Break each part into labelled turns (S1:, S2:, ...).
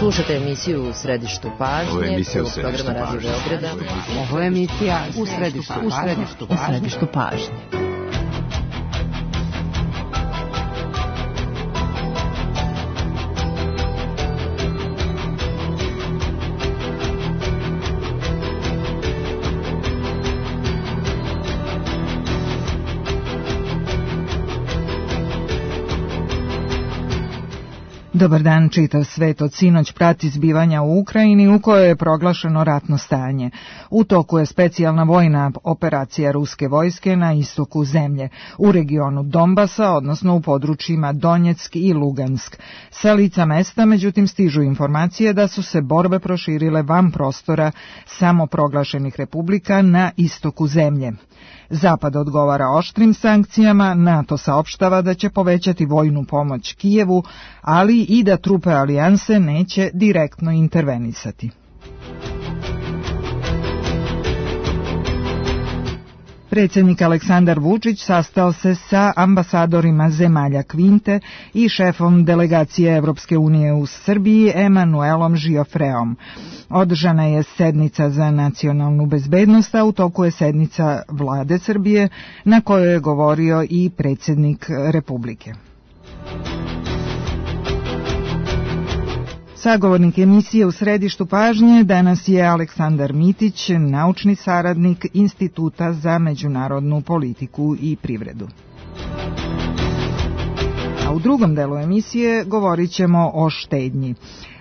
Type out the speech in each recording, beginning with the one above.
S1: Slušate emisiju U središtu pažnje.
S2: Ovo je emisija U
S1: središtu pažnje.
S3: Ovo je emisija U središtu pažnje. Dobar dan, čitav svet od sinoć prati zbivanja u Ukrajini u kojoj je proglašeno ratno stanje. U toku je specijalna vojna operacija ruske vojske na istoku zemlje, u regionu Donbasa, odnosno u područjima Donjeck i Lugansk. Sa lica mesta, međutim, stižu informacije da su se borbe proširile van prostora samoproglašenih republika na istoku zemlje. Zapad odgovara oštrim sankcijama, NATO saopštava da će povećati vojnu pomoć Kijevu, ali i da trupe alijanse neće direktno intervenisati. Predsjednik Aleksandar Vučić sastao se sa ambasadorima zemalja Kvinte i šefom delegacije Evropske unije u Srbiji Emanuelom Žiofreom. Održana je sednica za nacionalnu bezbednost, a u toku je sednica vlade Srbije na kojoj je govorio i predsjednik Republike. Sagovornik emisije U središtu pažnje danas je Aleksandar Mitić, naučni saradnik Instituta za međunarodnu politiku i privredu. A u drugom delu emisije govorit ćemo o štednji.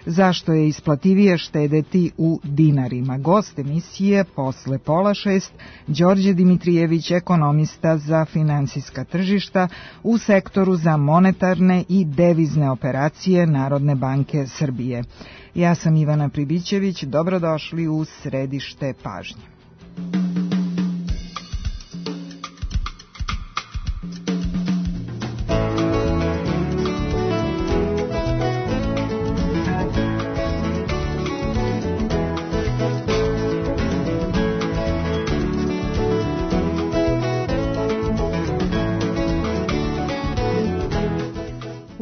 S3: Zašto je isplativije štedeti u dinarima? Gost emisije posle 5:30, Đorđe Dimitrijević, ekonomista za finansijska tržišta u sektoru za monetarne i devizne operacije Narodne banke Srbije. Ja sam Ivana Pribićević, dobrodošli u središte pažnje.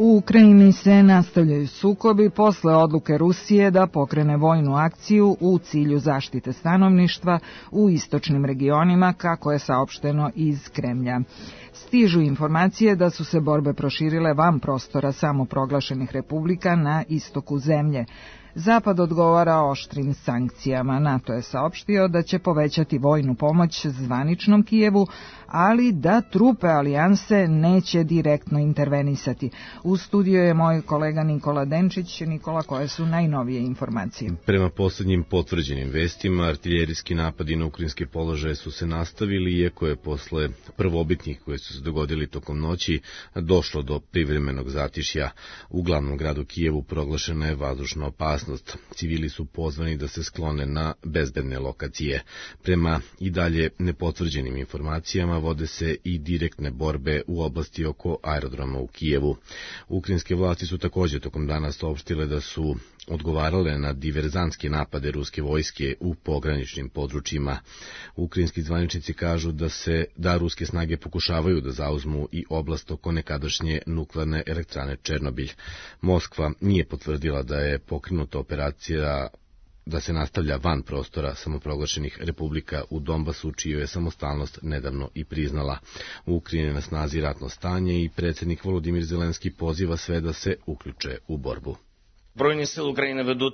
S3: U Ukrajini se nastavljaju sukobi posle odluke Rusije da pokrene vojnu akciju u cilju zaštite stanovništva u istočnim regionima, kako je saopšteno iz Kremlja. Stižu informacije da su se borbe proširile van prostora samoproglašenih republika na istoku zemlje. Zapad odgovara oštrim sankcijama. NATO je saopštio da će povećati vojnu pomoć zvaničnom Kijevu, ali da trupe alijanse neće direktno intervenisati. U studiju je moj kolega Nikola Denčić. Nikola, koje su najnovije informacije?
S2: Prema posljednjim potvrđenim vestima, artiljerijski napadi na ukrajinske položaje su se nastavili, iako je posle prvobitnih koje su se dogodili tokom noći došlo do privremenog zatišja. U glavnom gradu Kijevu proglašena je vazdušna opasnost. Civili su pozvani da se sklone na bezbedne lokacije. Prema i dalje nepotvrđenim informacijama vode se i direktne borbe u oblasti oko aerodroma u Kijevu. Ukrajinske vlasti su također tokom dana saopštile da su odgovarale na diverzantske napade ruske vojske u pograničnim područjima. Ukrajinski zvaničnici kažu da ruske snage pokušavaju da zauzmu i oblast oko nekadašnje nuklearne elektrane Černobilj. Moskva nije potvrdila da je pokrenuta operacija da se nastavlja van prostora samoproglašenih republika u Donbasu, čiju je samostalnost nedavno i priznala. U Ukrajini je na snazi ratno stanje i predsjednik Volodimir Zelenski poziva sve da se uključe u borbu.
S4: Збройні сили України ведуть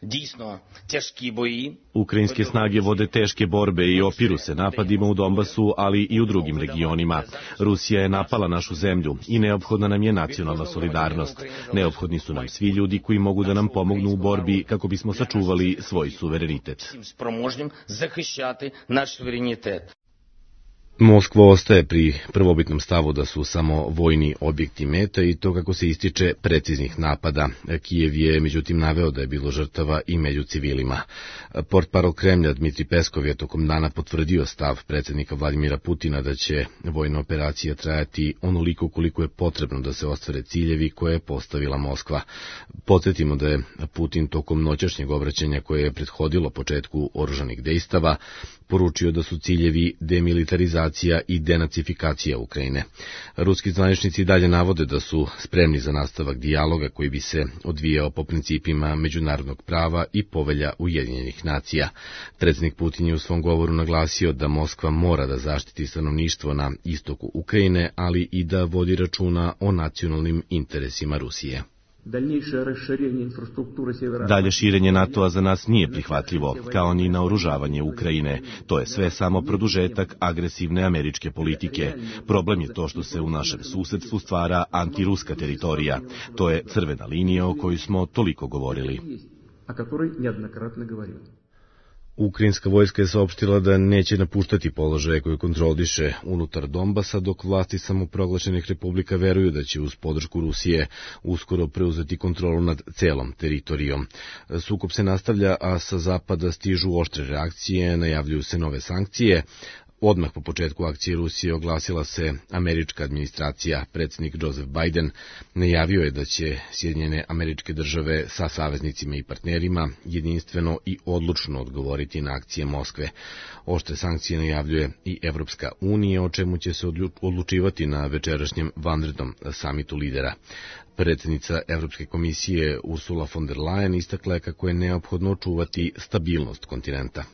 S4: дійсно тяжкі бої.
S5: Ukrajinske snage vode teške borbe i opiru se napadima u Donbasu, ali i u drugim regionima. Rusija je napala našu zemlju i neophodna nam je nacionalna solidarnost. Neophodni su nam svi ljudi koji mogu da nam pomognu u borbi kako bismo sačuvali svoj suverenitet.
S4: Спроможним захищати наш суверенітет.
S2: Moskva ostaje pri prvobitnom stavu da su samo vojni objekti meta i to kako se ističe preciznih napada. Kijev je međutim naveo da je bilo žrtava i među civilima. Portparol Kremlja Dmitri Peskov je tokom dana potvrdio stav predsjednika Vladimira Putina da će vojna operacija trajati onoliko koliko je potrebno da se ostvare ciljevi koje je postavila Moskva. Podsjetimo da je Putin tokom noćašnjeg obraćanja koje je prethodilo početku oružanih dejstava poručio da su ciljevi demilitarizacija i denacifikacija Ukrajine. Ruski zvaničnici dalje navode da su spremni za nastavak dijaloga koji bi se odvijao po principima međunarodnog prava i povelja Ujedinjenih nacija. Predsjednik Putin je u svom govoru naglasio da Moskva mora da zaštiti stanovništvo na istoku Ukrajine, ali i da vodi računa o nacionalnim interesima Rusije.
S5: Dalje širenje NATO-a za nas nije prihvatljivo, kao ni naoružavanje Ukrajine. To je sve samo produžetak agresivne američke politike. Problem je to što se u našem susedstvu stvara antiruska teritorija. To je crvena linija o kojoj smo toliko govorili.
S2: Ukrajinska vojska je saopštila da neće napuštati položaje koje kontroliše unutar Donbasa, dok vlasti samoproglašenih republika veruju da će uz podršku Rusije uskoro preuzeti kontrolu nad celom teritorijom. Sukob se nastavlja, a sa zapada stižu oštre reakcije, najavljuju se nove sankcije. Odmah po početku akcije Rusije oglasila se američka administracija. Predsjednik Joseph Biden najavio je da će Sjedinjene Američke Države sa saveznicima i partnerima jedinstveno i odlučno odgovoriti na akcije Moskve. Oštre sankcije najavljuje i Evropska unija, o čemu će se odlučivati na večerašnjem vanrednom samitu lidera. Predsjednica Evropske komisije Ursula von der Leyen istakla je kako je neophodno očuvati stabilnost kontinenta.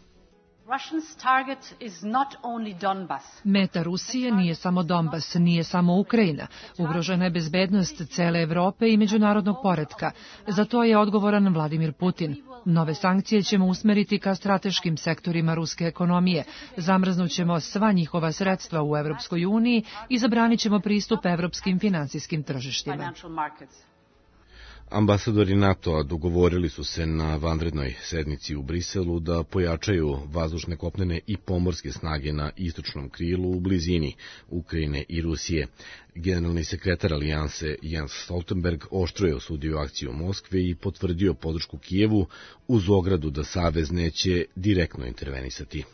S6: Meta Rusije nije samo Donbas, nije samo Ukrajina. Ugrožena je bezbednost cele Evrope i međunarodnog poretka. Za to je odgovoran Vladimir Putin. Nove sankcije ćemo usmeriti ka strateškim sektorima ruske ekonomije. Zamrznućemo sva njihova sredstva u Evropskoj uniji i zabranit ćemo pristup evropskim finansijskim tržištima.
S2: Ambasadori NATO-a dogovorili su se na vanrednoj sednici u Briselu da pojačaju vazdušne, kopnene i pomorske snage na istočnom krilu u blizini Ukrajine i Rusije. Generalni sekretar alijanse Jens Stoltenberg oštro je osudio akciju Moskve i potvrdio podršku Kijevu uz ogradu da Savez neće direktno intervenisati.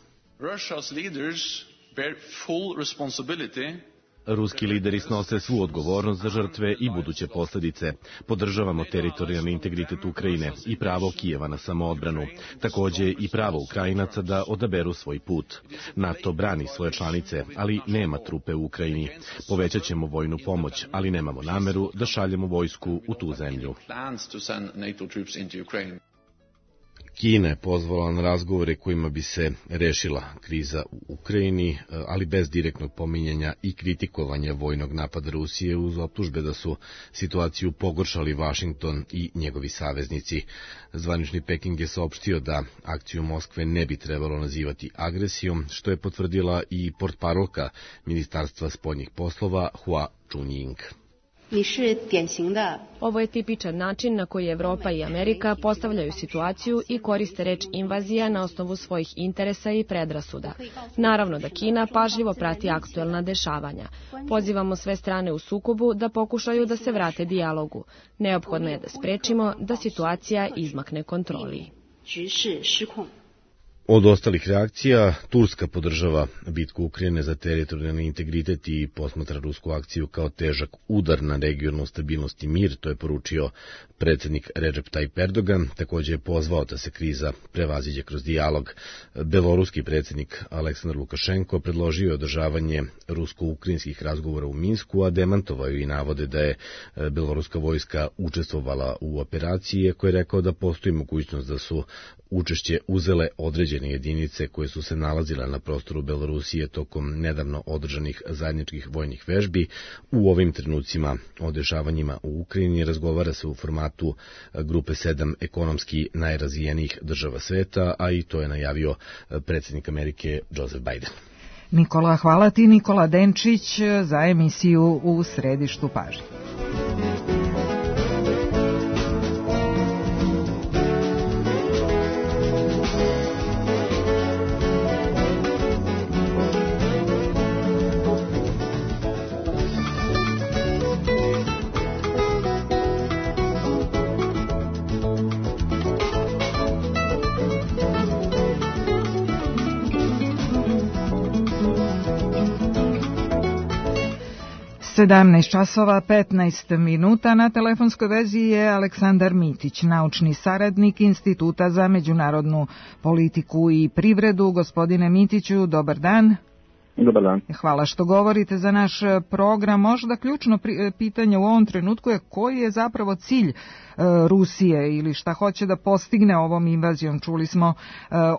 S5: Ruski lideri snose svu odgovornost za žrtve i buduće posljedice. Podržavamo teritorijalni integritet Ukrajine i pravo Kijeva na samoodbranu, također i pravo Ukrajinaca da odaberu svoj put. NATO brani svoje članice, ali nema trupe u Ukrajini. Povećat ćemo vojnu pomoć, ali nemamo nameru da šaljemo vojsku u tu zemlju.
S2: Kina je pozvala na razgovore kojima bi se rešila kriza u Ukrajini, ali bez direktnog pominjanja i kritikovanja vojnog napada Rusije uz optužbe da su situaciju pogoršali Vašington i njegovi saveznici. Zvanični Peking je saopštio da akciju Moskve ne bi trebalo nazivati agresijom, što je potvrdila i portparolka Ministarstva spoljnih poslova Hua Chunying.
S7: Ovo je tipičan način na koji Evropa i Amerika postavljaju situaciju i koriste reč invazija na osnovu svojih interesa i predrasuda. Naravno da Kina pažljivo prati aktuelna dešavanja. Pozivamo sve strane u sukobu da pokušaju da se vrate dijalogu. Neophodno je da sprečimo da situacija izmakne kontroli.
S2: Od ostalih reakcija, Turska podržava bitku Ukrajine za teritorijalni integritet i posmatra rusku akciju kao težak udar na regionalnu stabilnost i mir, to je poručio predsjednik Recep Tayyip Erdogan, također je pozvao da se kriza prevaziđe kroz dijalog. Beloruski predsjednik Aleksandar Lukašenko predložio je održavanje rusko-ukrajinskih razgovora u Minsku, a demantovao i navode da je beloruska vojska učestvovala u operaciji, koji je rekao da postoji mogućnost da su učešće uzele određene jedinice koje su se nalazile na prostoru Belorusije tokom nedavno održanih zajedničkih vojnih vežbi. U ovim trenucima o dešavanjima u Ukrajini razgovara se u formatu grupe 7 ekonomski najrazvijenijih država sveta, a i to je najavio predsjednik Amerike Joseph Biden.
S3: Nikola, hvala ti. Nikola Denčić za emisiju U središtu pažnje. 17 časova 15 minuta. Na telefonskoj vezi je Aleksandar Mitić, naučni saradnik Instituta za međunarodnu politiku i privredu. Gospodine Mitiću, dobar dan.
S8: Dobar dan.
S3: Hvala što govorite za naš program. Možda ključno pitanje u ovom trenutku je koji je zapravo cilj Rusije ili šta hoće da postigne ovom invazijom. Čuli smo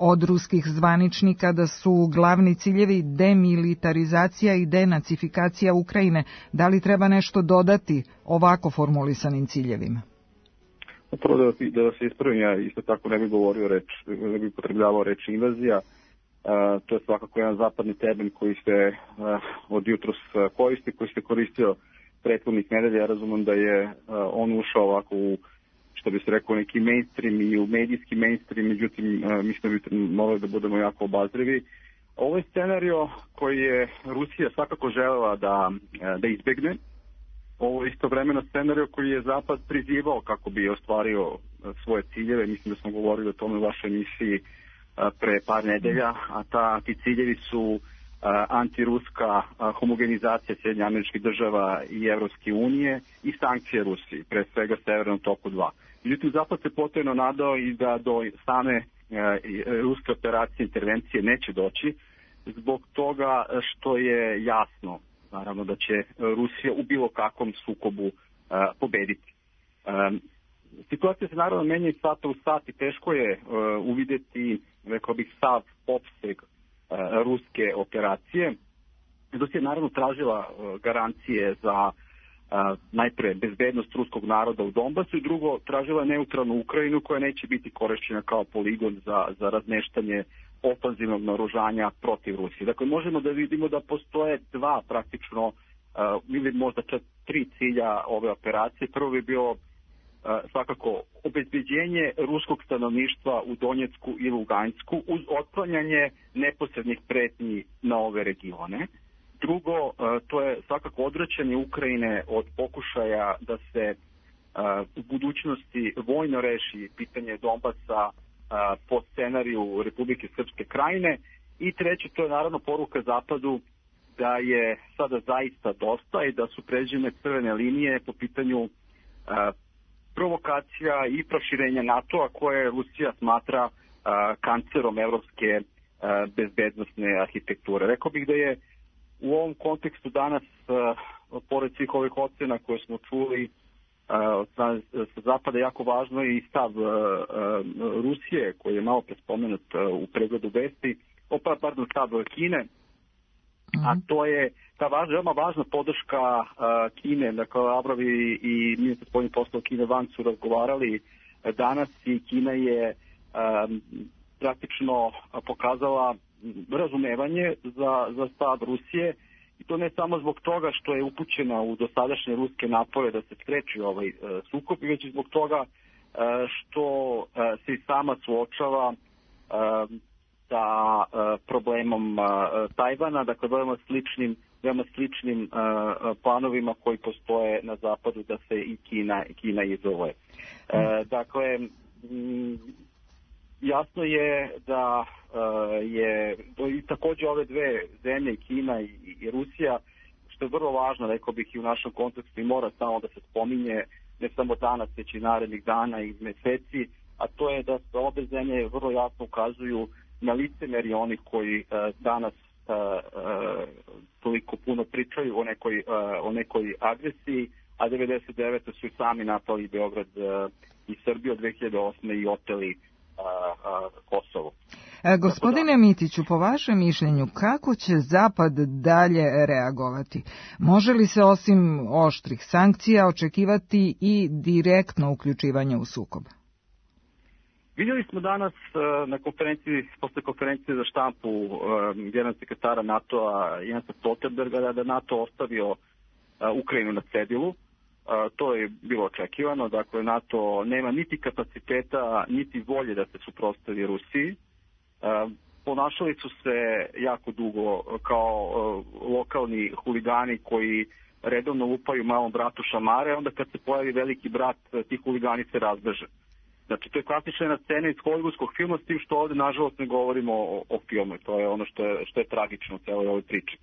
S3: od ruskih zvaničnika da su glavni ciljevi demilitarizacija i denacifikacija Ukrajine. Da li treba nešto dodati ovako formulisanim ciljevima?
S8: Prvo da se ispravim, ja isto tako ne bih potrebljavao reč invazija. To je svakako jedan zapadni termin koji se od jutros koristi, koji se koristio prethodnih nedelja. Ja razumem da je on ušao ovako u, što bi se rekao, neki mainstream i u medijski mainstream, međutim mislim da bi morali da budemo jako obazrivi. Ovo je scenario koji je Rusija svakako želela da izbegne. Ovo je istovremeno scenario koji je Zapad prizivao kako bi ostvario svoje ciljeve. Mislim da smo govorili o tome u vašoj emisiji pre par nedelja, a ti ciljevi su antiruska homogenizacija Sjedinjenih Američkih Država i Evropske unije i sankcije Rusiji, pre svega Severnom toku 2. Međutim, Zapad se potajno nadao i da do same ruske operacije intervencije neće doći, zbog toga što je jasno, naravno, da će Rusija u bilo kakvom sukobu pobediti. Situacija se naravno menja iz sata u sat i teško je uvideti, rekao bih, sav opseg ruske operacije. Rusija je naravno tražila garancije za najpre bezbednost ruskog naroda u Donbasu i drugo tražila neutralnu Ukrajinu koja neće biti korišćena kao poligon za razmeštanje ofanzivnog naoružanja protiv Rusije. Dakle, možemo da vidimo da postoje dva praktično ili možda čak 3 cilja ove operacije. Prvo bi bio svakako obezbeđenje ruskog stanovništva u Donjecku i Lugansku uz otklanjanje neposrednih pretnji na ove regione. Drugo, to je svakako odvraćanje Ukrajine od pokušaja da se u budućnosti vojno reši pitanje Donbasa po scenariju Republike Srpske Krajine. I treće, to je naravno poruka Zapadu da je sada zaista dosta i da su pređene crvene linije po pitanju provokacija i proširenja NATO-a koje Rusija smatra kancerom evropske bezbednosne arhitekture. Rekao bih da je u ovom kontekstu danas, pored svih ovih ocena koje smo čuli sa Zapada, jako važno i stav Rusije, koji je malo prespomenut u pregledu vesti, stav Kine, a to je ta veoma važna podrška Kine. Dakle, Lavrov i ministar spoljnih poslova Kine Wang su razgovarali danas i Kina je praktično pokazala razumevanje za stav Rusije, i to ne samo zbog toga što je upućena u dosadašnje ruske napore da se spreči ovaj sukob, već i zbog toga što se i sama suočava sa problemom Tajvana, dakle veoma sličnim planovima koji postoje na zapadu da se i Kina izoluje. Dakle, jasno je da je i takođe ove dve zemlje, Kina i Rusija, što je vrlo važno, rekao bih, i u našem kontekstu i mora samo da se spominje, ne samo danas, već i narednih dana i meseci, a to je da se obe zemlje vrlo jasno ukazuju na licemerje onih koji danas toliko puno pričaju o nekoj agresiji, a 1999. su i sami napali Beograd i Srbiju od 2008. i oteli Kosovo.
S3: Gospodine Mitiću, po vašem mišljenju, kako će Zapad dalje reagovati? Može li se osim oštrih sankcija očekivati i direktno uključivanje u sukob?
S8: Vidjeli smo danas na konferenciji, posle konferencije za štampu generalnog sekretara NATO-a Jensa Stoltenberga, da NATO ostavio Ukrajinu na cedilu. To je bilo očekivano. Dakle, NATO nema niti kapaciteta, niti volje da se suprotstavi Rusiji. Ponašali su se jako dugo kao lokalni huligani koji redovno lupaju malom bratu šamare, onda kad se pojavi veliki brat, ti huligani se razbeže. Znači, to je klasična jedna scena iz hollywoodskog filma, s tim što ovde, nažalost, ne govorimo o filmu. To je ono što je tragično u celoj ovoj priči.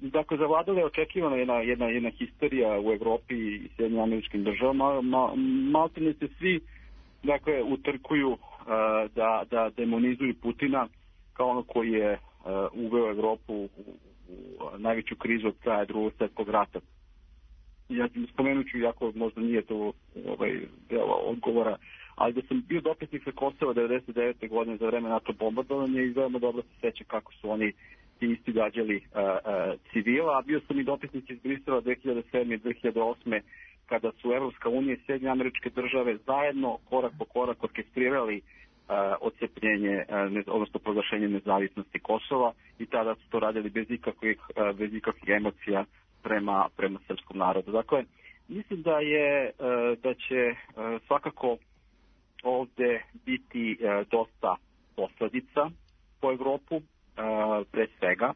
S8: Dakle, zavladala je očekivana jedna histerija u Evropi i Sjedinjenim Američkim Državama. Maltene se svi utrkuju da demonizuju Putina kao ono koji je uveo Evropu u najveću krizu od kraja Drugog svjetskog rata. Ja spomenut ću, jako možda nije to deo odgovora, ali da sam bio dopisnik sa Kosova 1999. godine za vreme NATO bombardovanja i veoma dobro se seća kako su oni ti isti gađali civila, a bio sam i dopisnik iz Brisela 2007. i 2008. kada su Evropska unija i Sjedinjene Američke Države zajedno korak po korak orkestrirali odcepljenje, odnosno proglašenje nezavisnosti Kosova, i tada su to radili bez ikakvih emocija prema srpskom narodu. Dakle, mislim da će svakako ovde biti dosta posledica po Evropu, pre svega.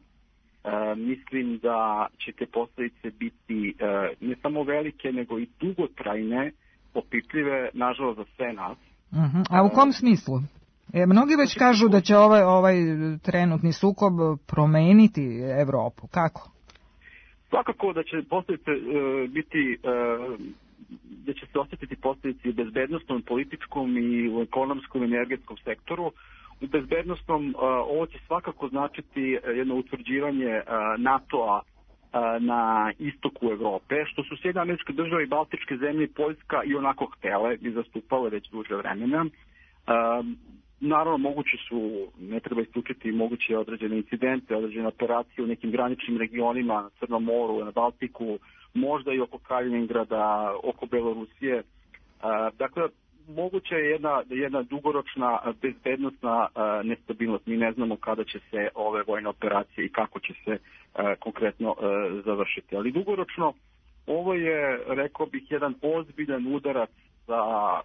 S8: Mislim da će te posledice biti ne samo velike, nego i dugotrajne, opipljive, nažalost, za sve nas.
S3: A u kom smislu? Mnogi već kažu da će ovaj trenutni sukob promeniti Evropu. Kako?
S8: Svakako da će posljedice biti, da će se osjetiti posljedice u bezbednostnom, političkom i u ekonomskom i energetskom sektoru. U bezbednostnom ovo će svakako značiti jedno utvrđivanje NATO-a na istoku Evrope, što su Sjedinjene Američke Države i Baltičke zemlje i Poljska i onako htele i zastupale već duže vremena. Naravno, moguće su, ne treba isključiti moguće određene incidente, određene operacije u nekim graničnim regionima, na Crnom moru, na Baltiku, možda i oko Kaliningrada, oko Belorusije. Dakle, moguće je jedna dugoročna bezbednostna nestabilnost. Mi ne znamo kada će se ove vojne operacije i kako će se konkretno završiti. Ali dugoročno ovo je, rekao bih, jedan ozbiljan udarac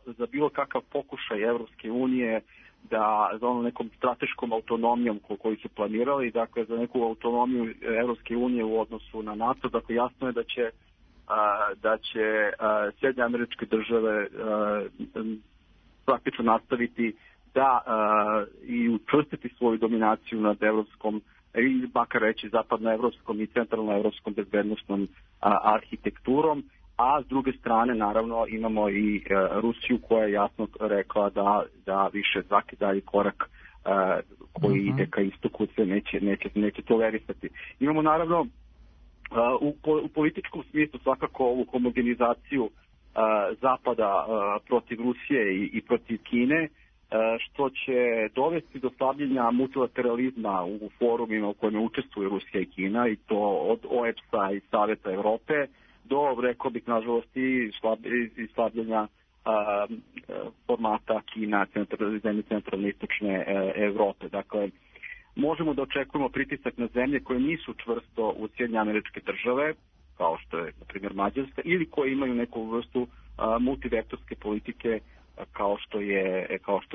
S8: za bilo kakav pokušaj Evropske unije da za ono nekom strateškom autonomijom koju su planirali, dakle za neku autonomiju Evropske unije u odnosu na NATO. Dakle, jasno je da će Sjedinjene Američke Države praktično nastaviti da i učvrstiti svoju dominaciju nad evropskom, i makar reći zapadnoevropskom i centralnoevropskom bezbednosnom arhitekturom, a s druge strane naravno imamo i Rusiju koja je jasno rekla da više svaki dalji korak koji ide ka istoku se neće tolerisati. Imamo naravno u političkom smislu svakako ovu homogenizaciju Zapada protiv Rusije i protiv Kine, što će dovesti do slabljenja multilateralizma u forumima u kojima učestvuju Rusija i Kina, i to od OEBS-a i Saveta Evrope do, rekao bih, nažalost, i slabljenja formata Kina, zemlje centralne istočne Evrope. Dakle, možemo da očekujemo pritisak na zemlje koje nisu čvrsto u Sjedinjene Američke Države, kao što je, na primjer, Mađarska, ili koje imaju neku vrstu multivektorske politike, kao što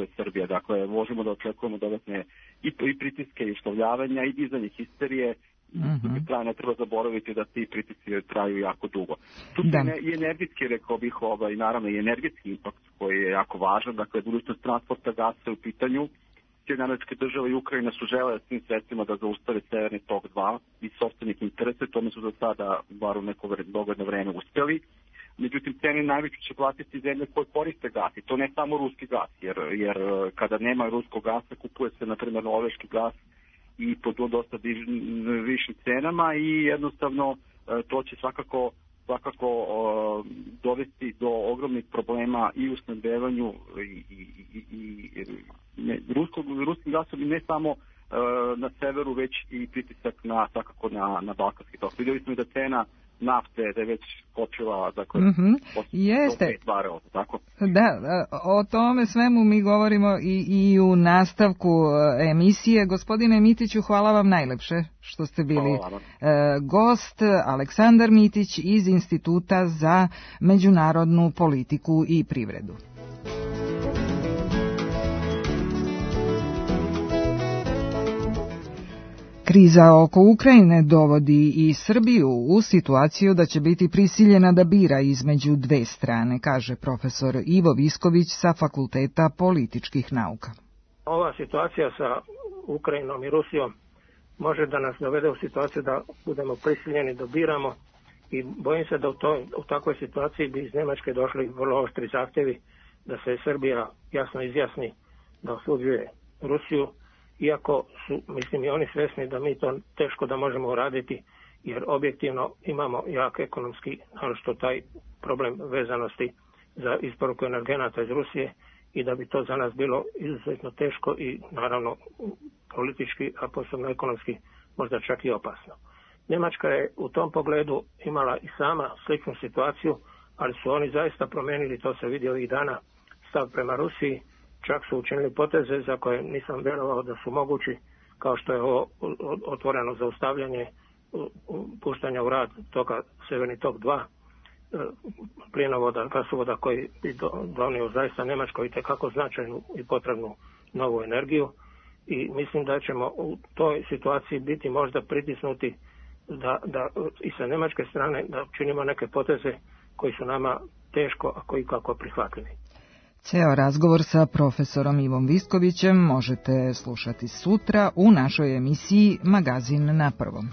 S8: je Srbija. Dakle, možemo da očekujemo dodatne i pritiske i uslovljavanja i dizanje histerije. Ne treba zaboraviti da ti pritisci traju jako dugo. Tu i energetski, rekao bih, naravno i energetski impakt koji je jako važan. Dakle, budućnost transporta gasa u pitanju. Sjedinjene Američke Države i Ukrajina su žele s tim sredstvima da zaustave Severni tok 2 iz sopstvenih interesa, tome su za sada, bar u neko dogodno vreme, uspjeli. Međutim, cene najveće će platiti zemlje koje koriste gas, i to ne samo ruski gas, jer kada nema ruskog gasa kupuje se, na primjer, norveški gas i po dosta višim cenama, i jednostavno to će svakako dovesti do ogromnih problema i u snabdevanju ruskim gasom, i ne samo na severu, već i pritisak svakako na balkanski tok. Vidjeli smo i da cena nafte da je već skočila, dakle,
S3: jeste.
S8: Barela, tako?
S3: Da, o tome svemu mi govorimo i u nastavku emisije. Gospodine Mitiću, hvala vam najlepše što ste bili gost. Aleksandar Mitić iz Instituta za međunarodnu politiku i privredu. Kriza oko Ukrajine dovodi i Srbiju u situaciju da će biti prisiljena da bira između dve strane, kaže profesor Ivo Visković sa Fakulteta političkih nauka.
S9: Ova situacija sa Ukrajinom i Rusijom može da nas dovede u situaciju da budemo prisiljeni da biramo i bojim se da u takvoj situaciji bi iz Nemačke došli vrlo oštri zahtjevi da se Srbija jasno izjasni da osuđuje Rusiju, iako su, mislim, i oni svjesni da mi to teško da možemo uraditi, jer objektivno imamo jak ekonomski, naročito taj problem vezanosti za isporuku energenata iz Rusije i da bi to za nas bilo izuzetno teško i naravno politički, a posebno ekonomski možda čak i opasno. Njemačka je u tom pogledu imala i sama sličnu situaciju, ali su oni zaista promijenili, to se vidi ovih dana, stav prema Rusiji, čak su učinili poteze za koje nisam vjerovao da su mogući, kao što je ovo otvoreno zaustavljanje puštanja u rad toga Severni tok 2, plinovoda, gasovoda koji bi donio zaista Njemačkoj itekako značajnu i potrebnu novu energiju i mislim da ćemo u toj situaciji biti možda pritisnuti da i sa njemačke strane da činimo neke poteze koji su nama teško, a koji kako prihvatljivi.
S3: Ceo razgovor sa profesorom Ivom Viskovićem možete slušati sutra u našoj emisiji Magazin na prvom.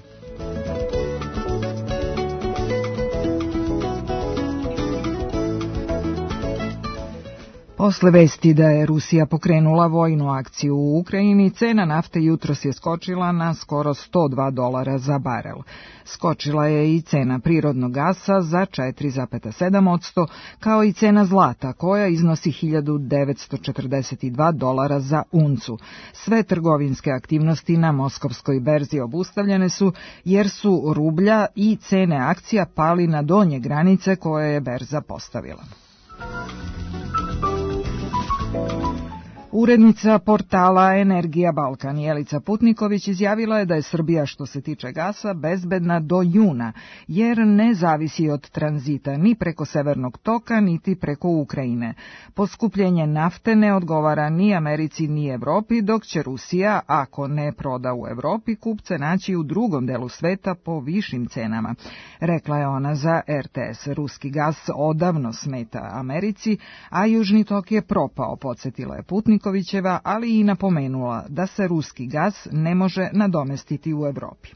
S3: Posle vesti da je Rusija pokrenula vojnu akciju u Ukrajini, cena nafte jutros je skočila na skoro $102 za barel. Skočila je i cena prirodnog gasa za 4,7%, kao i cena zlata koja iznosi $1942 za uncu. Sve trgovinske aktivnosti na moskovskoj berzi obustavljene su jer su rublja i cene akcija pali na donje granice koje je berza postavila. Urednica portala Energija Balkan Jelica Putniković izjavila je da je Srbija što se tiče gasa bezbedna do juna, jer ne zavisi od tranzita ni preko Severnog toka, niti preko Ukrajine. Poskupljenje nafte ne odgovara ni Americi ni Evropi, dok će Rusija, ako ne proda u Evropi, kupce naći u drugom delu sveta po višim cenama. Rekla je ona za RTS. Ruski gas odavno smeta Americi, a Južni tok je propao, podsjetila je Putnikovićeva, ali i napomenula da se ruski gas ne može nadomestiti u Evropi.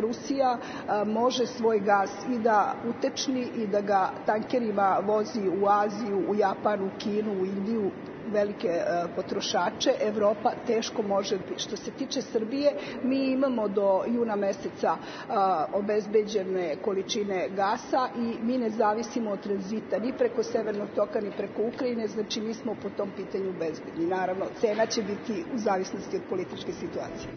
S10: Rusija može svoj gas i da utečni i da ga tankerima vozi u Aziju, u Japanu, Kinu, u Indiju, velike potrošače. Evropa teško može. Što se tiče Srbije, mi imamo do juna meseca obezbeđene količine gasa i mi ne zavisimo od tranzita ni preko Severnog toka ni preko Ukrajine, znači mi smo po tom pitanju bezbedni. Naravno, cena će biti u zavisnosti od političke situacije.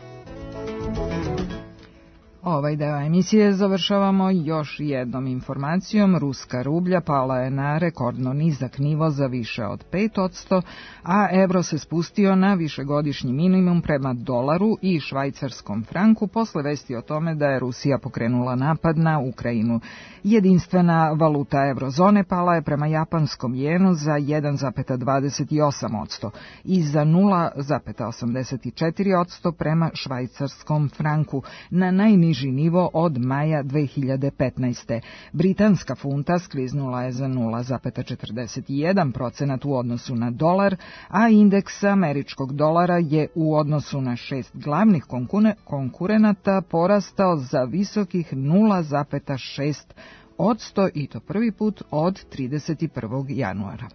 S3: Ovaj deo emisije završavamo još jednom informacijom. Ruska rublja pala je na rekordno nizak nivo za više od 5%, a evro se spustio na višegodišnji minimum prema dolaru i švajcarskom franku posle vesti o tome da je Rusija pokrenula napad na Ukrajinu. Jedinstvena valuta eurozone pala je prema japanskom jenu za 1,28% i za 0,84% prema švajcarskom franku, na najniži nivo od maja 2015. Britanska funta skliznula je za 0,41% u odnosu na dolar, a indeks američkog dolara je u odnosu na 6 glavnih konkurenata porastao za visokih 0,6% i to prvi put od 31. januara.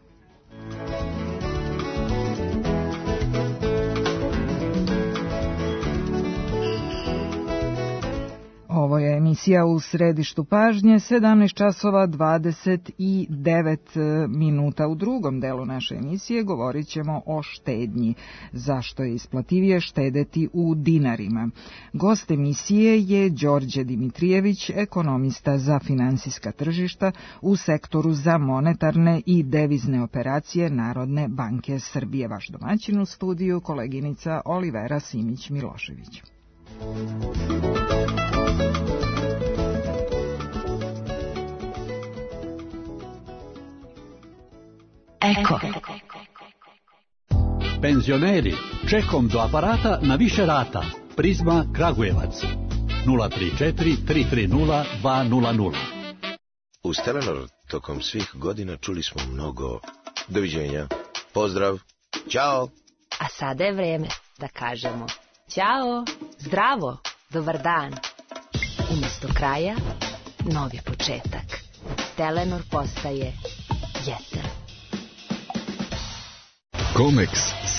S3: Ovo je emisija U središtu pažnje, 17 časova 29 minuta. U drugom delu naše emisije govorit ćemo o štednji. Zašto je isplativije štedeti u dinarima? Gost emisije je Đorđe Dimitrijević, ekonomista za finansijska tržišta u sektoru za monetarne i devizne operacije Narodne banke Srbije. Vaš domaćin u studiju, koleginica Olivera Simić-Milošević.
S11: Eko. Penzioneri, čekom do aparata na više rata. Prizma Kragujevac. 034 330 200.
S12: Uz Telenor tokom svih godina čuli smo mnogo doviđenja, pozdrav, ćao.
S1: A sada je vreme da kažemo ćao, zdravo. Dobar dan. Umesto kraja, novi početak. Telenor postaje jesen.
S13: Comex.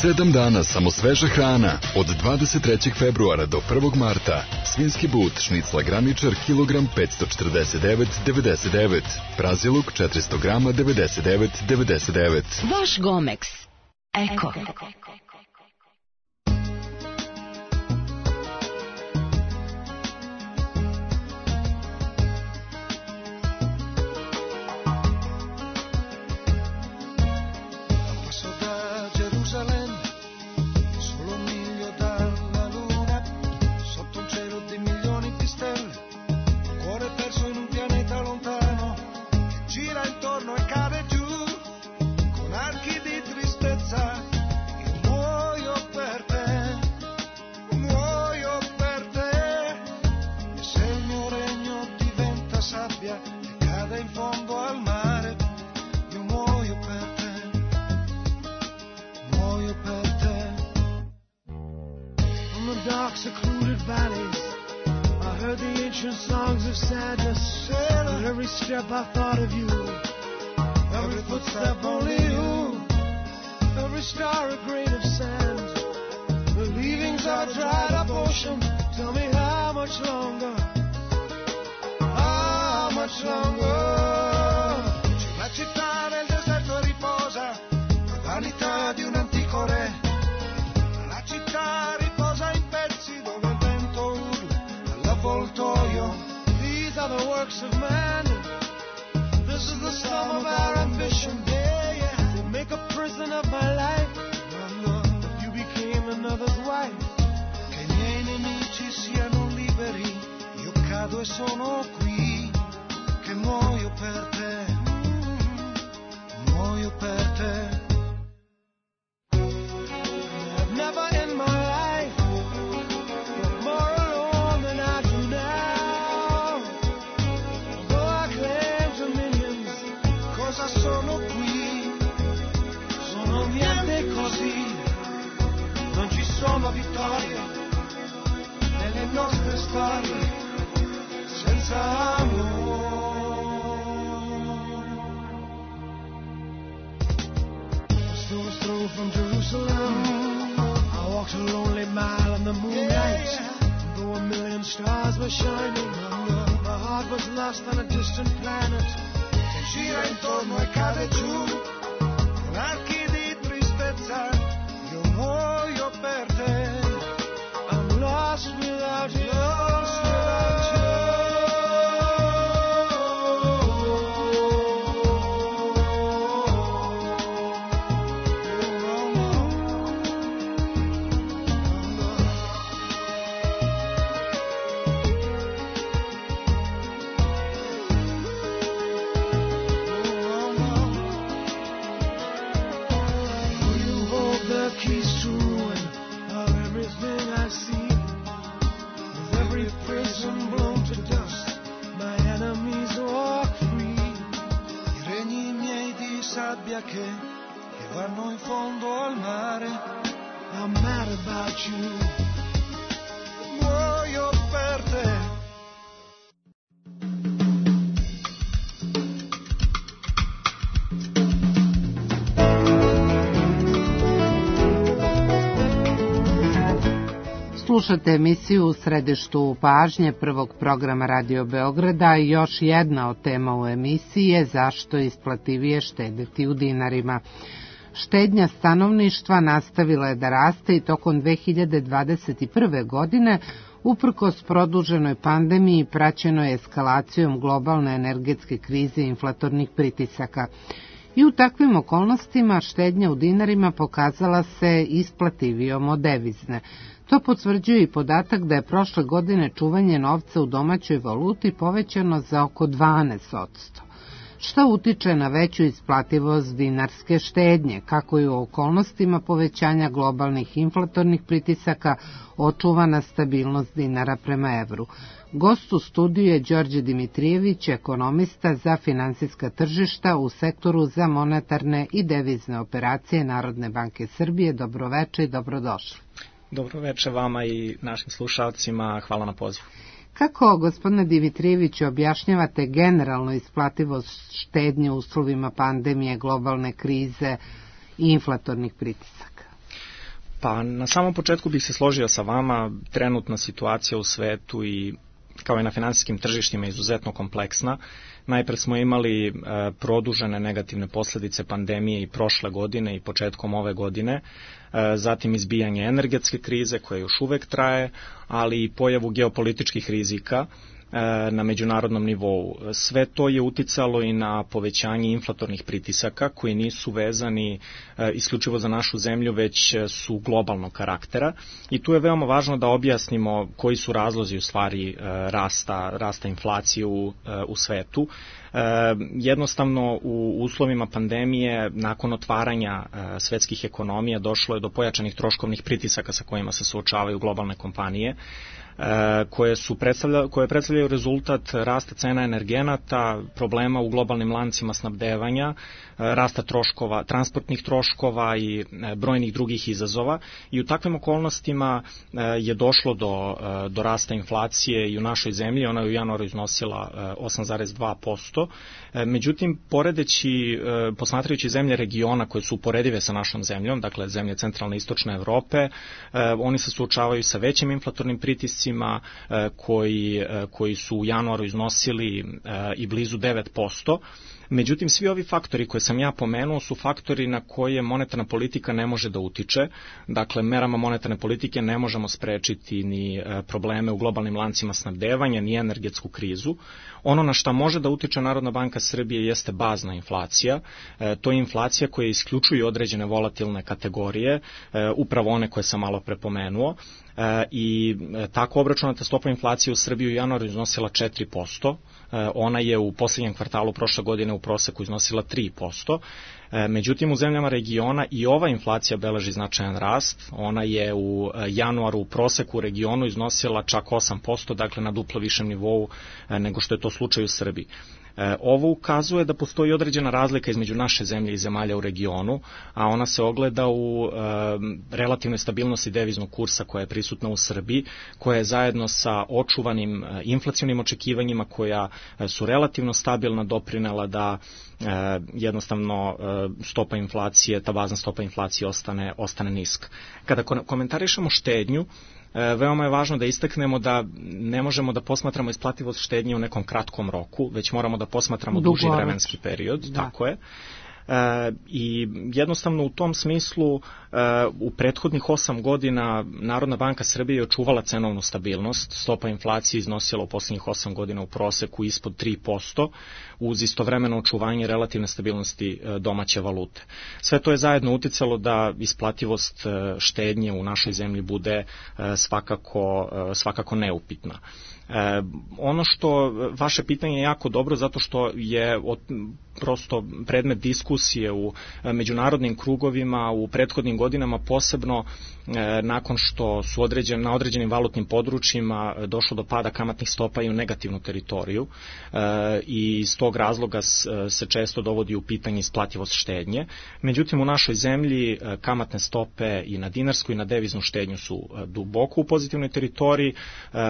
S13: 7 dana samo sveža hrana. Od 23. februara do 1. marta. Svinski but, šnicla graničar, kilogram 549,99. Praziluk 400 grama 99,99.
S1: Vaš Gomex. Eko.
S14: Slušate emisiju U središtu pažnje prvog programa Radio Beograda i još jedna od tema u emisiji je zašto je isplativije štedeti u dinarima. Štednja stanovništva nastavila je da raste i tokom 2021. godine, uprkos produženoj pandemiji praćenoj eskalacijom globalne energetske krize i inflatornih pritisaka. I u takvim okolnostima štednja u dinarima pokazala se isplativijom od devizne. To potvrđuje i podatak da je prošle godine čuvanje novca u domaćoj valuti povećano za oko 12%. Što utiče na veću isplativost dinarske štednje, kako i u okolnostima povećanja globalnih inflatornih pritisaka očuvana stabilnost dinara prema evru. Gost u studiju je Đorđe Dimitrijević, ekonomista za finansijska tržišta u sektoru za monetarne i devizne operacije Narodne banke Srbije. Dobroveče i dobrodošli.
S15: Dobroveče vama i našim slušalcima, hvala na pozivu.
S14: Kako, gospodine Dimitrijeviću, objašnjavate generalno isplativost štednje u uslovima pandemije, globalne krize i inflatornih pritisaka?
S15: Pa na samom početku bih se složio sa vama, trenutna situacija u svetu i kao i na finansijskim tržištima izuzetno kompleksna. Najpred smo imali produžene negativne posljedice pandemije i prošle godine i početkom ove godine, zatim izbijanje energetske krize koja još uvek traje, ali i pojavu geopolitičkih rizika na međunarodnom nivou. Sve to je uticalo i na povećanje inflatornih pritisaka koji nisu vezani isključivo za našu zemlju, već su globalnog karaktera i tu je veoma važno da objasnimo koji su razlozi u stvari rasta inflacije u svetu. Jednostavno u uslovima pandemije nakon otvaranja svetskih ekonomija došlo je do pojačanih troškovnih pritisaka sa kojima se suočavaju globalne kompanije koje predstavljaju rezultat rasta cena energenata, problema u globalnim lancima snabdevanja, rasta troškova, transportnih troškova i brojnih drugih izazova i u takvim okolnostima je došlo do rasta inflacije i u našoj zemlji. Ona je u januaru iznosila 8,2%. Međutim, posmatrajući zemlje regiona koje su uporedive sa našom zemljom, dakle zemlje centralne i istočne Evrope, oni se suočavaju sa većim inflatornim pritiscima koji su u januaru iznosili i blizu 9%. Međutim, svi ovi faktori koje sam ja pomenuo su faktori na koje monetarna politika ne može da utiče. Dakle, merama monetarne politike ne možemo sprečiti ni probleme u globalnim lancima snabdevanja, ni energetsku krizu. Ono na šta može da utiče Narodna banka Srbije jeste bazna inflacija. To je inflacija koja isključuje određene volatilne kategorije, upravo one koje sam malo prepomenuo. I tako obračunata stopa inflacije u Srbiji u januaru iznosila 4%. Ona je u posljednjem kvartalu prošle godine u proseku iznosila 3%. Međutim, u zemljama regiona i ova inflacija beleži značajan rast. Ona je u januaru u proseku u regionu iznosila čak 8%, dakle na duplo višem nivou nego što je to slučaj u Srbiji. Ovo ukazuje da postoji određena razlika između naše zemlje i zemalja u regionu, a ona se ogleda u relativnoj stabilnosti deviznog kursa koja je prisutna u Srbiji, koja je zajedno sa očuvanim inflacionim očekivanjima koja su relativno stabilna doprinela da jednostavno stopa inflacije, ta bazna stopa inflacije ostane niska. Kada komentarišemo štednju, veoma je važno da istaknemo da ne možemo da posmatramo isplativost štednje u nekom kratkom roku, već moramo da posmatramo duži vremenski period, tako je. I jednostavno u tom smislu u prethodnih 8 godina Narodna banka Srbije je očuvala cenovnu stabilnost. Stopa inflacije iznosila u posljednjih 8 godina u proseku ispod 3%, uz istovremeno očuvanje relativne stabilnosti domaće valute. Sve to je zajedno uticalo da isplativost štednje u našoj zemlji bude svakako neupitna. Ono što vaše pitanje je jako dobro zato što je prosto predmet diskusije u međunarodnim krugovima u prethodnim godinama, posebno nakon što su na određenim valutnim područjima došlo do pada kamatnih stopa i u negativnu teritoriju i iz tog razloga se često dovodi u pitanje isplativost štednje. Međutim, u našoj zemlji kamatne stope i na dinarsku i na deviznu štednju su duboko u pozitivnoj teritoriji.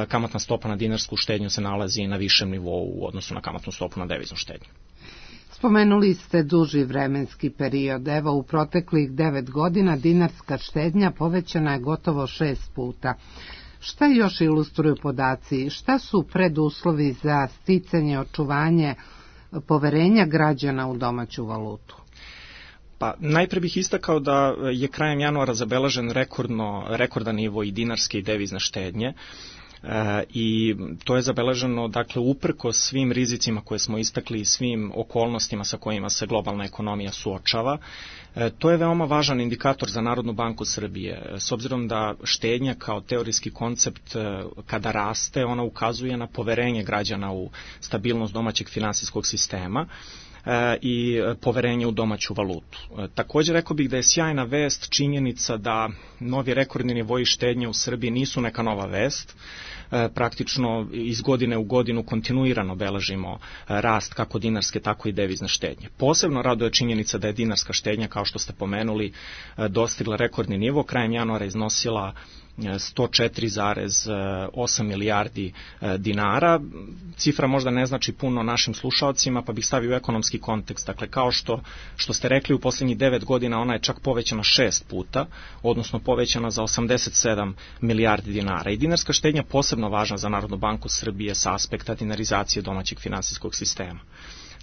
S15: Kamatna stopa na dinarsku štednju se nalazi na višem nivou u odnosu na kamatnu stopu na deviznu štednju.
S14: Spomenuli ste duži vremenski period. Evo, u proteklih 9 godina dinarska štednja povećana je gotovo 6 puta. Šta još ilustruju podaci? Šta su preduslovi za sticanje, očuvanje poverenja građana u domaću valutu?
S15: Pa najpre bih istakao da je krajem januara zabeležen rekordan nivo i dinarske i devizne štednje. I to je zabeleženo dakle uprkos svim rizicima koje smo istakli i svim okolnostima sa kojima se globalna ekonomija suočava. To je veoma važan indikator za Narodnu banku Srbije, s obzirom da štednja kao teorijski koncept kada raste, ona ukazuje na poverenje građana u stabilnost domaćeg finansijskog sistema i poverenje u domaću valutu. Također rekao bih da je sjajna vest činjenica da novi rekordni nivoji štednje u Srbiji nisu neka nova vest. praktično iz godine u godinu kontinuirano beležimo rast kako dinarske, tako i devizne štednje. Posebno raduje činjenica da je dinarska štednja, kao što ste pomenuli, dostigla rekordni nivo, krajem januara iznosila 104,8 milijardi dinara. Cifra možda ne znači puno našim slušaocima, pa bih stavio u ekonomski kontekst. Dakle, kao što ste rekli, u posljednjih 9 godina ona je čak povećana 6 puta, odnosno povećana za 87 milijardi dinara. I dinarska štednja posebno važna za Narodnu banku Srbije sa aspekta dinarizacije domaćeg finansijskog sistema.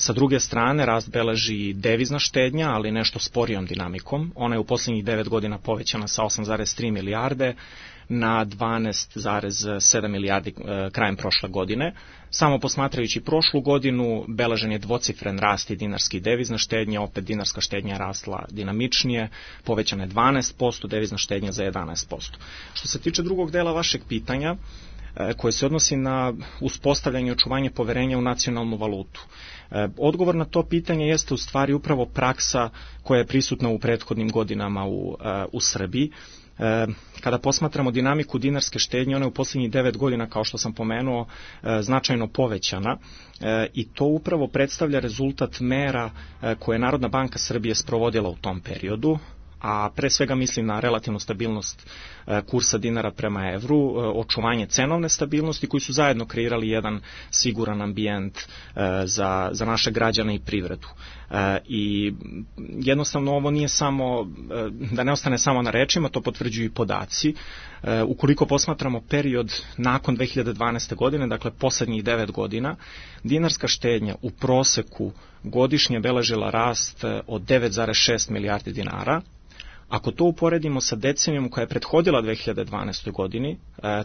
S15: Sa druge strane, rast beleži devizna štednja, ali nešto sporijom dinamikom. Ona je u posljednjih 9 godina povećana sa 8,3 milijarde na 12,7 milijardi krajem prošle godine. Samo posmatrajući prošlu godinu, beležen je dvocifren rast i dinarske i devizna štednja, opet dinarska štednja je rasla dinamičnije, povećana je 12%, devizna štednja za 11%. Što se tiče drugog dela vašeg pitanja, koje se odnosi na uspostavljanje i očuvanje poverenja u nacionalnu valutu. Odgovor na to pitanje jeste u stvari upravo praksa koja je prisutna u prethodnim godinama u Srbiji. Kada posmatramo dinamiku dinarske štednje, ona je u posljednjih 9 godina, kao što sam pomenuo, značajno povećana i to upravo predstavlja rezultat mera koje je Narodna banka Srbije sprovodila u tom periodu, a pre svega mislim na relativnu stabilnost kursa dinara prema evru, očuvanje cenovne stabilnosti, koji su zajedno kreirali jedan siguran ambijent za naše građane i privredu. I jednostavno ovo nije samo, da ne ostane samo na rečima, to potvrđuju i podaci. Ukoliko posmatramo period nakon 2012. godine, dakle poslednjih 9 godina, dinarska štednja u proseku godišnje beležila rast od 9,6 milijardi dinara. Ako to uporedimo sa decenijom koja je prethodila 2012. godini,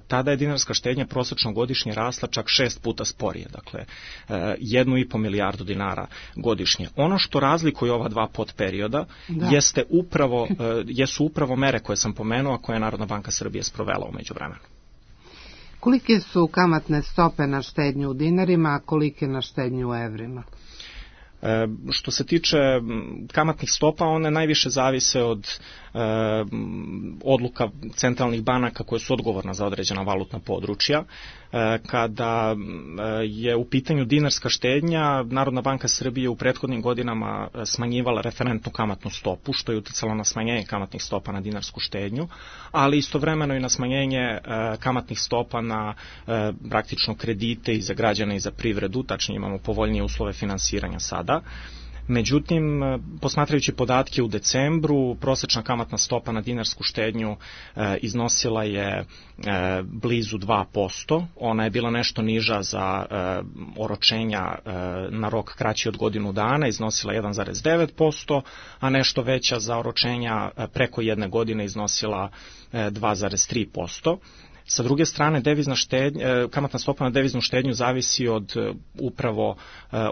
S15: tada je dinarska štednja prosečno godišnje rasla čak 6 puta sporije, dakle 1,5 milijardu dinara godišnje. Ono što razlikuje ova dva podperioda jesu upravo mere koje sam pomenuo, a koje je Narodna banka Srbije sprovela u međuvremenu.
S14: Kolike su kamatne stope na štednju u dinarima, a kolike na štednju u evrima?
S15: Što se tiče kamatnih stopa, one najviše zavise od odluka centralnih banaka koje su odgovorna za određena valutna područja. Kada je u pitanju dinarska štednja, Narodna banka Srbije u prethodnim godinama smanjivala referentnu kamatnu stopu, što je uticalo na smanjenje kamatnih stopa na dinarsku štednju, ali istovremeno i na smanjenje kamatnih stopa na praktično kredite i za građane i za privredu, tačnije imamo povoljnije uslove finansiranja sada. Međutim, posmatrajući podatke u decembru, prosečna kamatna stopa na dinarsku štednju iznosila je blizu 2%. Ona je bila nešto niža za oročenja na rok kraći od godinu dana, iznosila 1,9%, a nešto veća za oročenja preko jedne godine iznosila 2,3%. Sa druge strane, kamatna stopa na deviznu štednju zavisi od upravo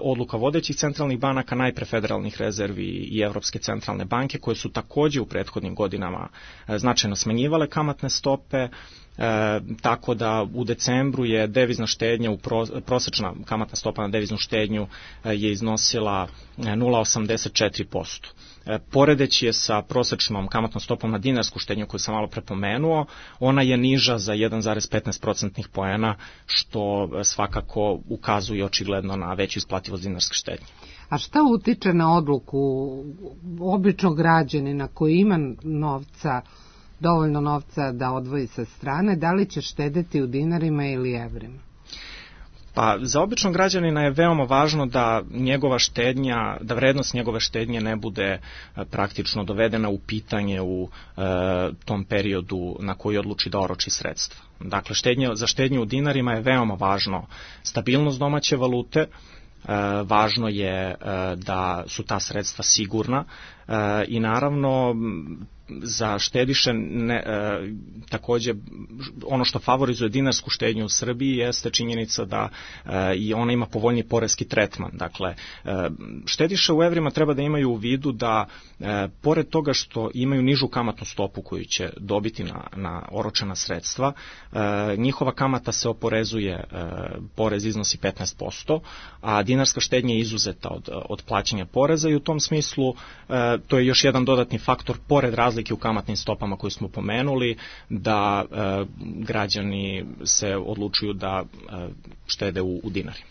S15: odluka vodećih centralnih banaka, najpre federalnih rezervi i Evropske centralne banke, koje su takođe u prethodnim godinama značajno smanjivale kamatne stope, tako da u decembru je devizna štednja, prosečna kamatna stopa na deviznu štednju je iznosila 0,84%. Poredeći je sa prosečnom kamatnom stopom na dinarsku štednju koju sam malo prepomenuo, ona je niža za 1,15% poena, što svakako ukazuje očigledno na veću isplativost dinarske štednje.
S14: A šta utiče na odluku običnog građanina koji ima dovoljno novca da odvoji sa strane, da li će štedeti u dinarima ili evrima?
S15: Pa za običnog građanina je veoma važno da vrednost njegove štednje ne bude praktično dovedena u pitanje u tom periodu na koji odluči da oroči sredstva. Dakle, za štednju u dinarima je veoma važno stabilnost domaće valute, važno je da su ta sredstva sigurna i naravno za štediše takođe ono što favorizuje dinarsku štednju u Srbiji jeste činjenica da i ona ima povoljni poreski tretman. Dakle, štediše u evrima treba da imaju u vidu da pored toga što imaju nižu kamatnu stopu koju će dobiti na oročena sredstva, njihova kamata se oporezuje, porez iznosi 15%, a dinarska štednja je izuzeta od plaćanja poreza i u tom smislu to je još jedan dodatni faktor pored razlike u kamatnim stopama koju smo pomenuli, da građani se odlučuju da štede u dinarima.